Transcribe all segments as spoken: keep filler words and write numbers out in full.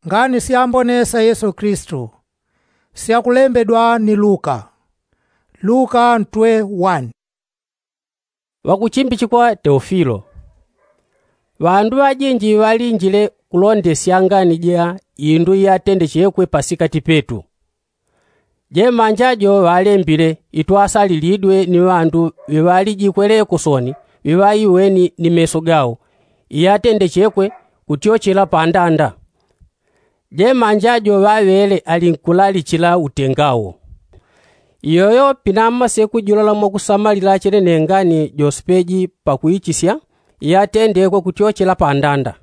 ngani syambone sya yesu kristu syakulembedwa ni luka. Luka ntwe wani. Ŵakuchimbichikwa teofilo. Ŵandu ŵajinji ŵalinjile kulondesya ngani ja indu iyatendechekwe pasikati petu. Jemanja jo ŵalembile itwasalilidwe ni ŵandu ŵiŵaliji kweleko soni ŵiŵaiweni ni meso gao iyatendechekwe kutyochela pandanda. Jemanja jo ŵaŵele ali nkulalichila utenga wo. Iyoyo pinamase kujulola mwakusamalila chenene ngani jospeji pakuichisya iyatendekwe kutyochela pandanda.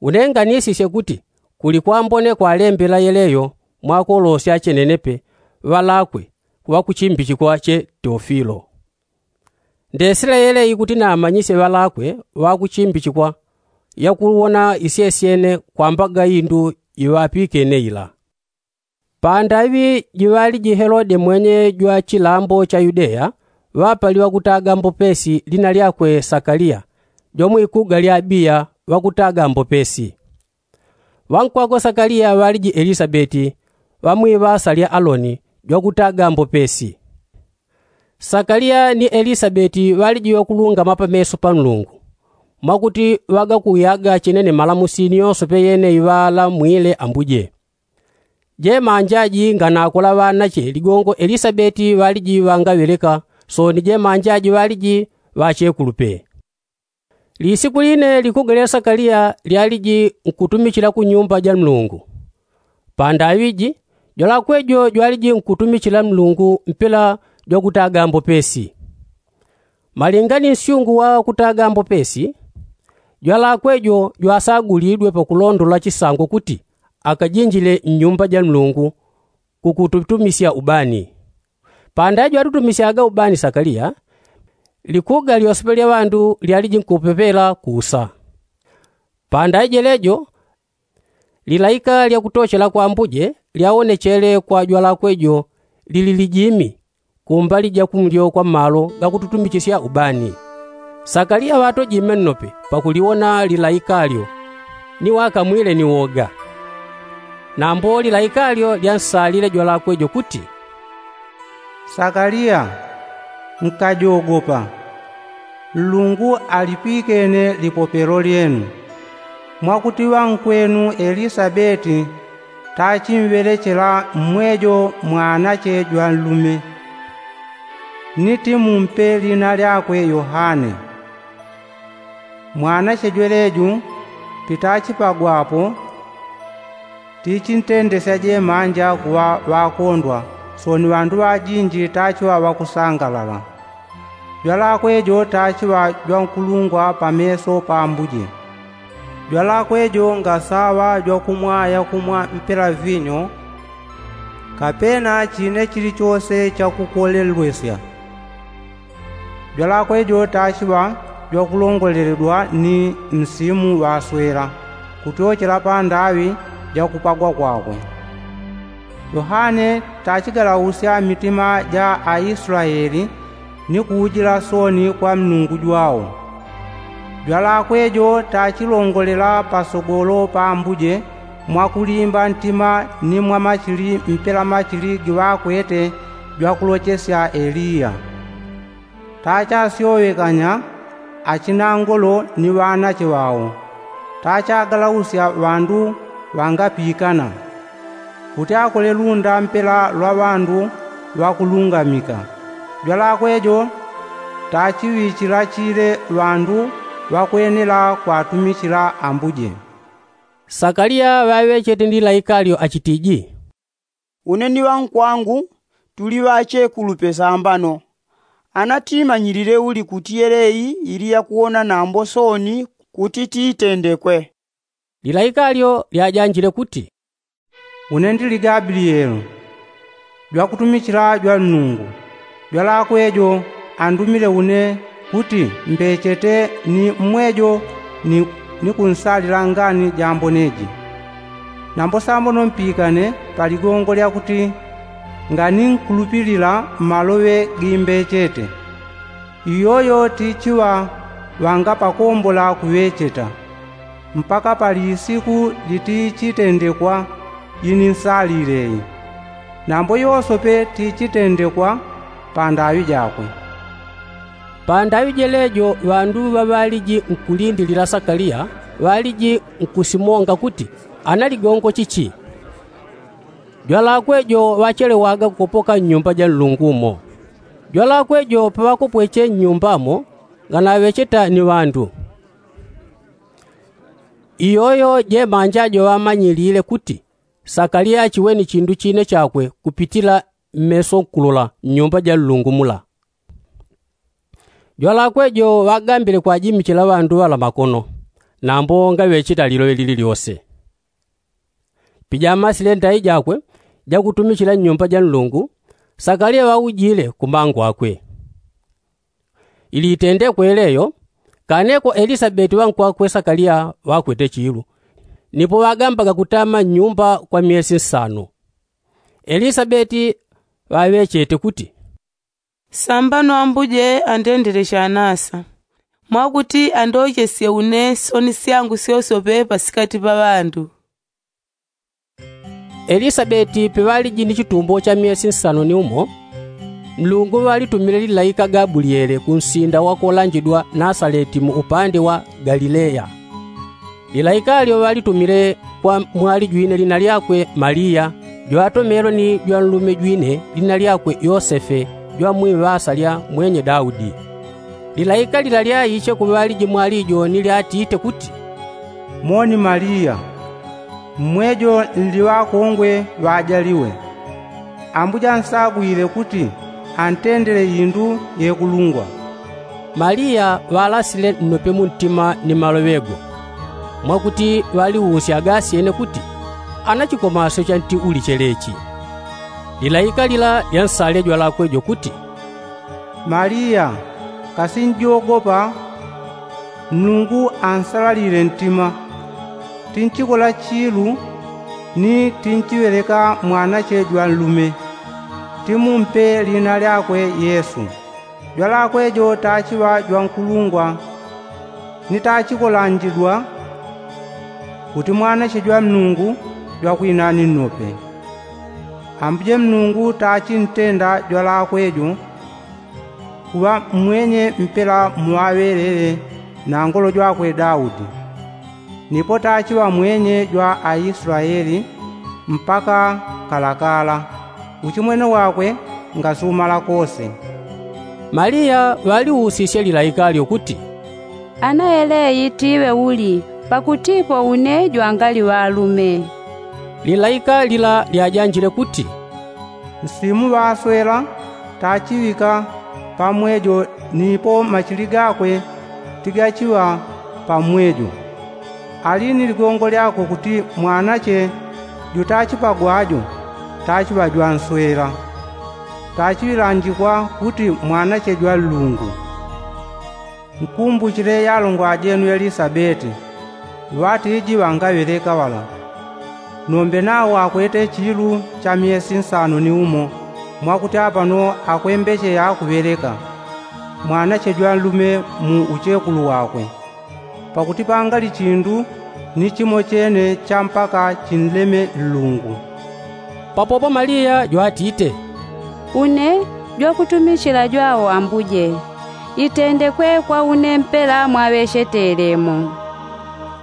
Une nganisisye kuti kuli kwambone kwalembela yeleyo mwakolosya chenenepe ŵalakwe kuŵakuchimbichikwa che teofilo. Ndesile yeleyi kuti namanyisye ŵalakwe ŵakuchimbichikwa yakuwona isyesyene kwambaga indu iŵapikene ila. Pandaŵi jiŵaliji helode mwenye jwa chilambo cha yudeya ŵapaliwa kutaga mbopesi lina lyakwe sakaliya jomwikuga lya abiya ŵakutaga mbopesi. Ŵankwakwe sakaliya ŵaliji elisabeti ŵa mwiŵasa lya aloni jwakutaga mbopesi. Sakaliya ni elisabeti ŵaliji ŵakulungama pameso pa nlungu mwakuti ŵagakuyaga chenene malamusi ni yonse peyene iŵalamwile ambuje. Jemanja ji nganakola ŵanache ligongo elisabeti ŵaliji ŵangaŵeleka soni jemanja ji ŵaliji ŵachekulupe. Lisiku line likuga lya sakaliya lyaliji nkutumichila ku nyumba ja nlungu. Pandaŵi ji jwalakwe jo jwaliji nkutumichila nlungu mpela jwakutaga mbopesi. Malinga ni nsyungu wa kutaga mbopesi jwalakwe jo jwasagulidwe pakulondola chisango kuti akajinjile nnyumba ja nlungu kukututumisya ubani. Pandaŵi jwatutumisyaga ubani sakaliya likuga lyose palya ŵandu lyaliji nkupepela kusa. Pandaŵi jelejo lilaika lyakutochela kwa ambuje lyawonechele kwa jwalakwe jo lili lijimi kumbali ja kumlyo kwa malo gakututumichisya ubani. Sakaliya ŵatojime nnope pakuliwona lilaika lyo ni ŵakamwile ni woga. Nambo lilaika lyo lyansalile jwalakwe jo kuti, sakaliya, nkajogopa. Nlungu alipikene lipopelo lyenu mwakuti ŵankwenu elisabeti tachimŵelechela mmwejo mwanache jwa nlume. Ni timumpe lina lyakwe yohane. Mwanache jweleju pitachipagwapo tichintendesya jemanja kuŵa ŵakondwa soni ŵandu ŵajinji tachiŵa ŵakusangalala. Jwalakwe jo tachiŵa jwankulungwa pameso pa ambuje. Jwalakwe jo ngasaŵa jwakumwaya kumwa mpela vinyo kapena chine chilichose chakukolelwesya. Jwalakwe jo tachiŵa jwakulongoleledwa ni msimu ŵaswela kutyochela pandaŵi jakupagwa kwakwe. Yohane tachigalausya mitima ja aislaeli ni kuujila soni kwa mlungu jwao. Jwalakwe jo tachilongolela pasogolo pa ambuje mwakulimba ntima ni mwamachili mpela machili giŵakwete jwakulochesya eliya. Tachasyowekanya achinangolo ni ŵanache ŵao. Tachagalausya ŵandu ŵangapikana kuti akolelunda mpela lwa ŵandu ŵakulungamika. Jwalakwe jo tachiŵichila chile ŵandu ŵakwenela kwatumichila ambuje. Sakaliya ŵaŵechete ni laika lyo achitiji, une ni ŵankwangu tuli ŵachekulupe sambano. Ana tiimanyilile uli kuti yeleyi ili yakuwona nambo sooni kuti tiitendekwe? Lilaika lyo lyajanjile kuti, une ndili gabilieli jwakutumichila jwa nlungu. Jwalakwe jo andumile une kuti mbechete ni mmwejo ni kunsalila ngani jambone ji. Nambo sambono mpikane pa ligongo lyakuti nganinkulupilila mmaloŵe gimbechete. Iyoyo tichiŵa ŵangapakombola kuŵecheta. mpaka pali isiku litichitendekwa ini nsalile iyi. Nambo yosope tichitendekwa pandaŵi jakwe. Pandaŵi jelejo ŵandu ŵaŵaliji nkulindilila sakaliya ŵaliji nkusimonga kuti analigongo chichi. Jwalakwe jo ŵachelewaga kukopoka nnyumba ja nlungu mo. Jwalakwe jo paŵakopweche nnyumba mo nganaŵecheta ni ŵandu. Iyoyo jemanja jo ŵamanyilile kuti sakaliya achiweni chindu chine chakwe kupitila mmeso nkulola nnyumba ja nlungu mula. Jwalakwe jo ŵagambile kwajimichila ŵandu ŵala makono nambo ngaŵecheta liloŵe lililyose. Pijamasile ndai jakwe jakutumichila nnyumba ja nlungu, sakaliya ŵaujile kumangu akwe. Ili itendekwe leyo kaneko elisabeti ŵankwakwe sakaliya ŵakwete chilu. Nipo ŵagambaga kutama nnyumba kwa myesi nsano. Elisabeti ŵaŵechete kuti, sambano ambuje andendele chanasa, mwakuti andochesye une soni syangu syosope pasikati pa ŵandu. Elisabeti piŵaliji ni chitumbo cha myesi nsano ni umo, nlungu ŵalitumile lilaika gabulyele kunsinda wakolanjidwa nasaleti mu upande wa galileya. Lilaika lyo ŵalitumile kwa mwali jwine lina lyakwe maliya, jwatomelwe ni jwanlume jwine lina lyakwe yosefe, jwamwiŵasa lya mwenye daudi. Lilaika lila lyaiche kuŵaliji mwali jo ni lyatite kuti, moni maliya, mmwejo nli ŵakongwe ŵajaliwe. Ambuje ansagwile kuti antendele indu yekulungwa. Maliya ŵalasile nnope muntima ni maloŵe go, mwakuti ŵaliusyaga asyene kuti, anachikomasyo chanti uliche lechi. Lilaika lila lyansale jwalakwe jo kuti, maliya, kasinjogopa. Nlungu ansalalile ntima. Tinchikola chilu ni tinchiŵeleka mwanache jwanlume, timumpe lina lyakwe yesu. Jwalakwe jo tachiŵa jwankulungwa ni tachikolanjidwa kuti mwanache jwa nlungu jwakwinani nnope. Ambuje nlungu tachintenda jwalakwe jo kuŵa mmwenye mpela muŵaŵelele na ngolo jwakwe daudi. Nipo tachiŵa mwenye jwa aisulaeli mpaka kalakala. Uchimwene wakwe ngasumala kose. Maliya ŵaliusisye lilaika lyo kuti, ana yeleyi tiŵe uli? Pakutipo une jwangali ŵalume. Lilaika lila lyajanjile kuti, nsimu ŵaswela tachiŵika pamwejo nipo machili gakwe tigachiŵa pamwejo. Ali ni ligongo lyakwe kuti mwanache jutachipagwa jo tachiŵa jwanswela. Tachiŵilanjikwa kuti mwanache jwa nlungu. Nkumbuchile yalongwa jenu elisabeti ŵatiji ŵangaŵeleka ŵala. Nombe nawo akwete chilu cha myesi nsano ni umo mwakuti apano akwembecheya kuŵeleka mwanache jwanlume mu uchekulu wakwe. Pakuti pangali chindu ni chimo chene cha mpaka chinleme nlungu. Papopo maliya jwatite, une jwakutumichila jwawo ambuje, itendekwe kwa une mpela mwaŵechete lemo.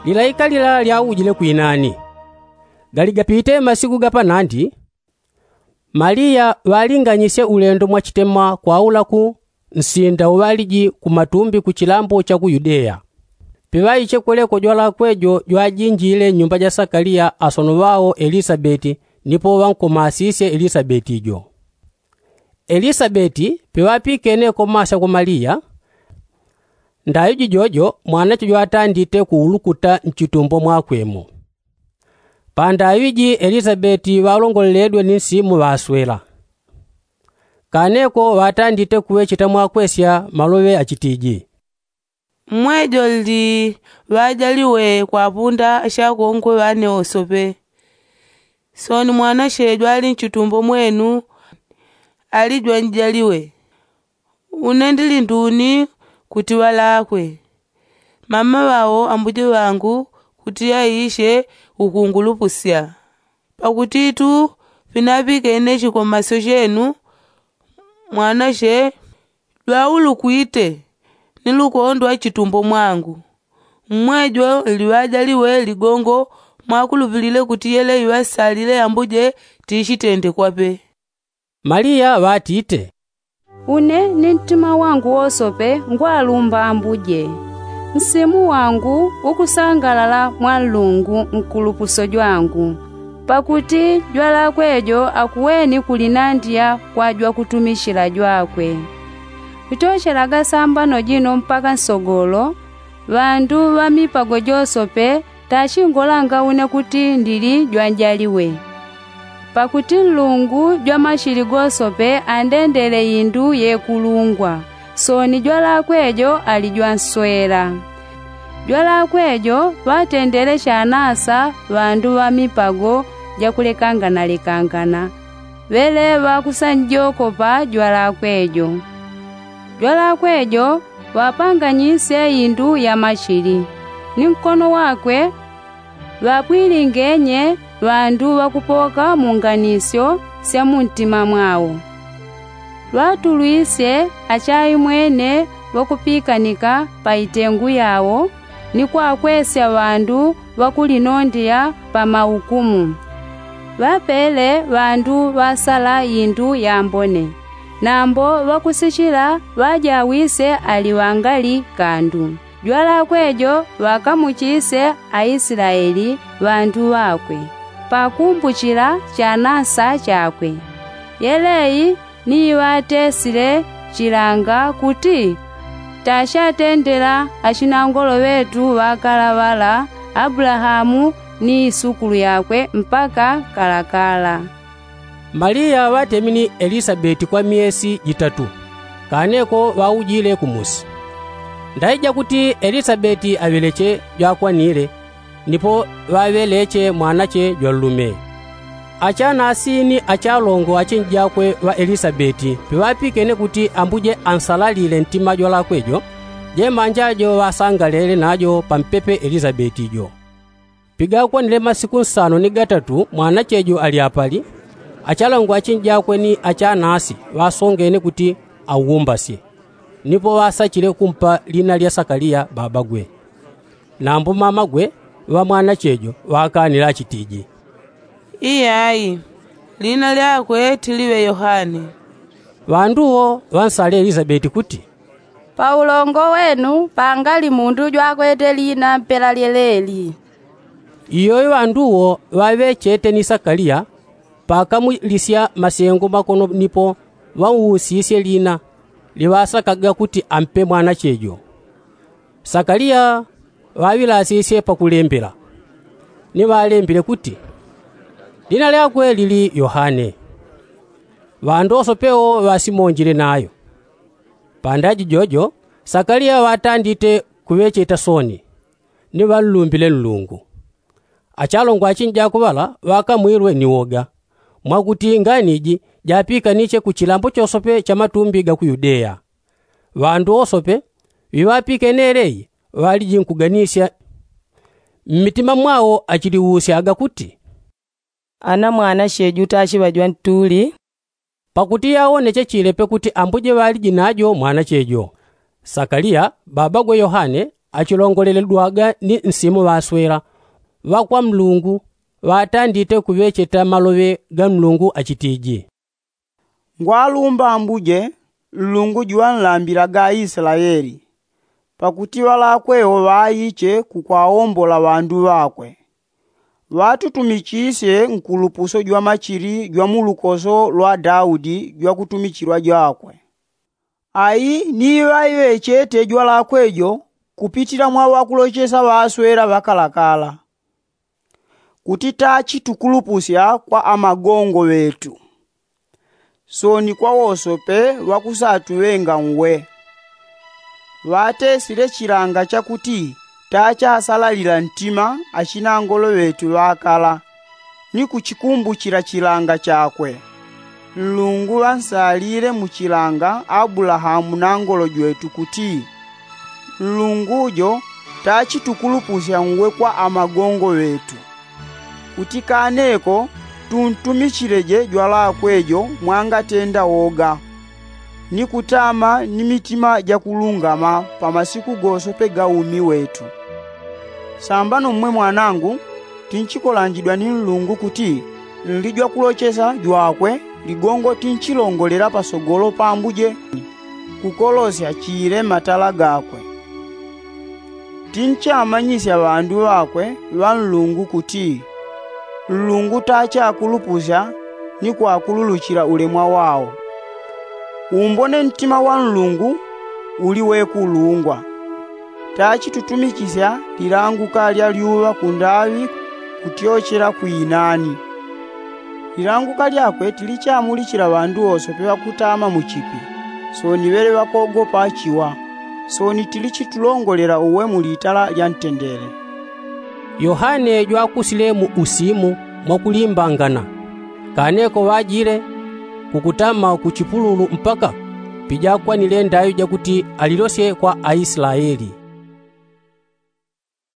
Lilaika lila lyaujile kwinani. Gali gapite masiku gapanandi, maliya ŵalinganyisye ulendo mwachitema kwaulaku nsinda uŵaliji kumatumbi kuchilambo cha ku yudeya. Piŵaiche kweleko jwalakwe jo jwajinjile nnyumba ja sakaliya asono ŵao elisabeti nipo ŵankomasisye elisabeti jo. Elisabeti piŵapikene komasya kwa maliya, ndaŵi jijojo mwanache jwatandite kuulukuta nchitumbo mwakwe mo. Pandaŵi ji elisabeti ŵalongoleledwe ni nsimu ŵaswela. Kaneko ŵatandite kuŵecheta mwakwesya maloŵe achitiji, mmwejo nli ŵajaliwe kwapunda achakongwe ŵane wosope. Sooni mwanache jwali nchitumbo mwenu ali jwanjaliwe. Une ndili nduni kuti ŵalakwe? Mama ŵao ambuje ŵangu. kuti aishe ukungulupusya. Pakutitu pinapikene chikomasyo chenu mwanache jwaulukwite ni lukondo achitumbo mwangu. Mmwejo liŵajaliwe ligongo mwakulupilile kuti yele iŵasalile ambuje tichitende kwape. Maliya ŵatite, une ni ntima wangu wosope ngwalumba ambuje. Nsimu wangu ukusangalala mwa nlungu nkulupuso jwangu, pakuti jwalakwe jo akuweni kulinandiya kwa jwakutumichila jwakwe. Kutochelaga sambano jino mpaka nsogolo, ŵandu ŵa mipago josope tachingolanga une kuti ndili jwanjaliwe. Pakuti nlungu jwamachili gosope andendele indu yekulungwa, soni jwalakwe jo ali jwanswela. Jwalakwe jo ŵatendele chanasa ŵandu ŵa mipago jakulekanganalekangana, ŵele ŵakusanjokopa jwalakwe jo. Jwalakwe jo ŵapanganyisye indu ya machili, ni nkono wakwe ŵapwilingenye ŵandu ŵakupoka mu nganisyo sya mu ntima mwao. Ŵatulwisye achaimwene ŵakupikanika pa itengu yao, ni kwakwesya ŵandu ŵakulinondeya pa maukumu. Ŵapele ŵandu ŵasala indu yambone, nambo ŵakusichila ŵajawisye ali ŵangali kandu. Jwalakwe jo ŵakamuchisye aisilaeli ŵandu ŵakwe, pakumbuchila chanasa chakwe. Yelei ni iŵatesile chilanga kuti tachatendela achinangolo ŵetu ŵakala ŵala, abulahamu ni isukulu yakwe mpaka kalakala. Maliya ŵatemi ni elisabeti kwa myesi jitatu, kaneko ŵaujile kumusi. Ndaija kuti elisabeti aŵeleche jwakwanile, nipo ŵaŵeleche mwanache jwanlume. Achanasi ni achalongo achinjakwe ŵa elisabeti piŵapikene kuti ambuje ansalalile ntima jwalakwe jo, jemanja jo ŵasangalele najo pampepe elisabeti jo. Pigakwanile masiku nsano ni gatatu mwanache jo ali apali, achalongo achinjakwe ni achanasi ŵasongene kuti aumbasye. Nipo ŵasachile kumpa lina lya sakaliya babagwe. Nambo mamagwe ŵa mwanache jo ŵakanile achitiji, iyai, lina lyakwe tiliŵe yohane. Ŵandu wo ŵansale elisabeti kuti, paulongo wenu pangali mundu jwakwete lina mpela lyeleli. Iyoyo ŵandu wo ŵaŵechete ni sakaliya pakamulisya masengo makono nipo ŵauusisye lina liŵasakaga kuti ampe mwanache jo. Sakaliya ŵaŵilasisye pakulembela, ni ŵalembile kuti, lina lyakwe lili yohane. Ŵandu wosope wo ŵasimonjile nayo. Pandaji jojo sakaliya ŵatandite kuŵecheta soni, ni ŵanlumbile nlungu. Achalongo achinjakwe ŵala ŵakamwilwe ni woga, mwakuti ngani iji japikaniche ku chilambo chosope cha matumbi ga ku yudeya. Ŵandu wosope ŵiŵapikene elei ŵaliji nkuganisya mmitima mwao achiliusyaga kuti, ana mwanache ju tachiŵa jwantuli? Pakuti yawoneche chilepe kuti ambuje ŵaliji najo mwanache jo. Sakaliya babagwe yohane achilongoleledwaga ni nsimu ŵaswela ŵa kwa nlungu, ŵatandite kuŵecheta maloŵe ga nlungu achitiji, ngwalumba ambuje, nlungu juŵanlambilaga aislaeli, pakuti ŵalakwe wo ŵaiche kukwaombola ŵandu ŵakwe, ŵatutumichisye nkulupuso jwa machili jwa mu lukoso lwa daudi jwakutumichilwa jwakwe. Ai ni iŵaiŵechete jwalakwe jo kupitila mwa ŵakulochesa ŵaswela ŵakalakala, kuti tachitukulupusya kwa amagongo ŵetu, soni kwa wosope ŵakusatuŵenga nwe. Ŵatesile chilanga chakuti tachasalalila ntima achinangolo ŵetu ŵakala, ni kuchikumbuchila chilanga chakwe. Nlungu ŵansalile mu chilanga abulahamu nangolo jwetu kuti, nlungu jo Tachi tukulupusya ngwe kwa amagongo ŵetu, kuti kaneko tuntumichileje jwalakwe jo mwangatenda woga, ni kutama ni mitima jakulungama pa masiku gosope ga umi wetu. Sambano mmwe mwanangu, tinchikolanjidwa ni nlungu kuti nlijwakulochesa jwakwe ligongo tinchilongolela pasogolo pa ambuje, kukolosya chile matala gakwe. Tinchamanyisya ŵandu ŵakwe ŵa nlungu kuti nlungu tachakulupusya ni kwakululuchila ulemwa wao. Umbone ntima wa nlungu uli wekulungwa. Tachi tutumichisya lilanguka lya lyuŵa kundaŵi kutyochela kwinani. Lilanguka lyakwe tilichamulichila ŵandu wose peŵakutama mu chipi. Soni ŵele ŵakogopa chiwa. Soni tilichitulongolela uwe mu litala lya ntendele. Yohane jwakusile mu usimu mwakulimbangana. Kaneko ŵajile kukutama ku chipululu mpaka pijakwanile ndaŵi jakuti alilosye kwa aislaeli.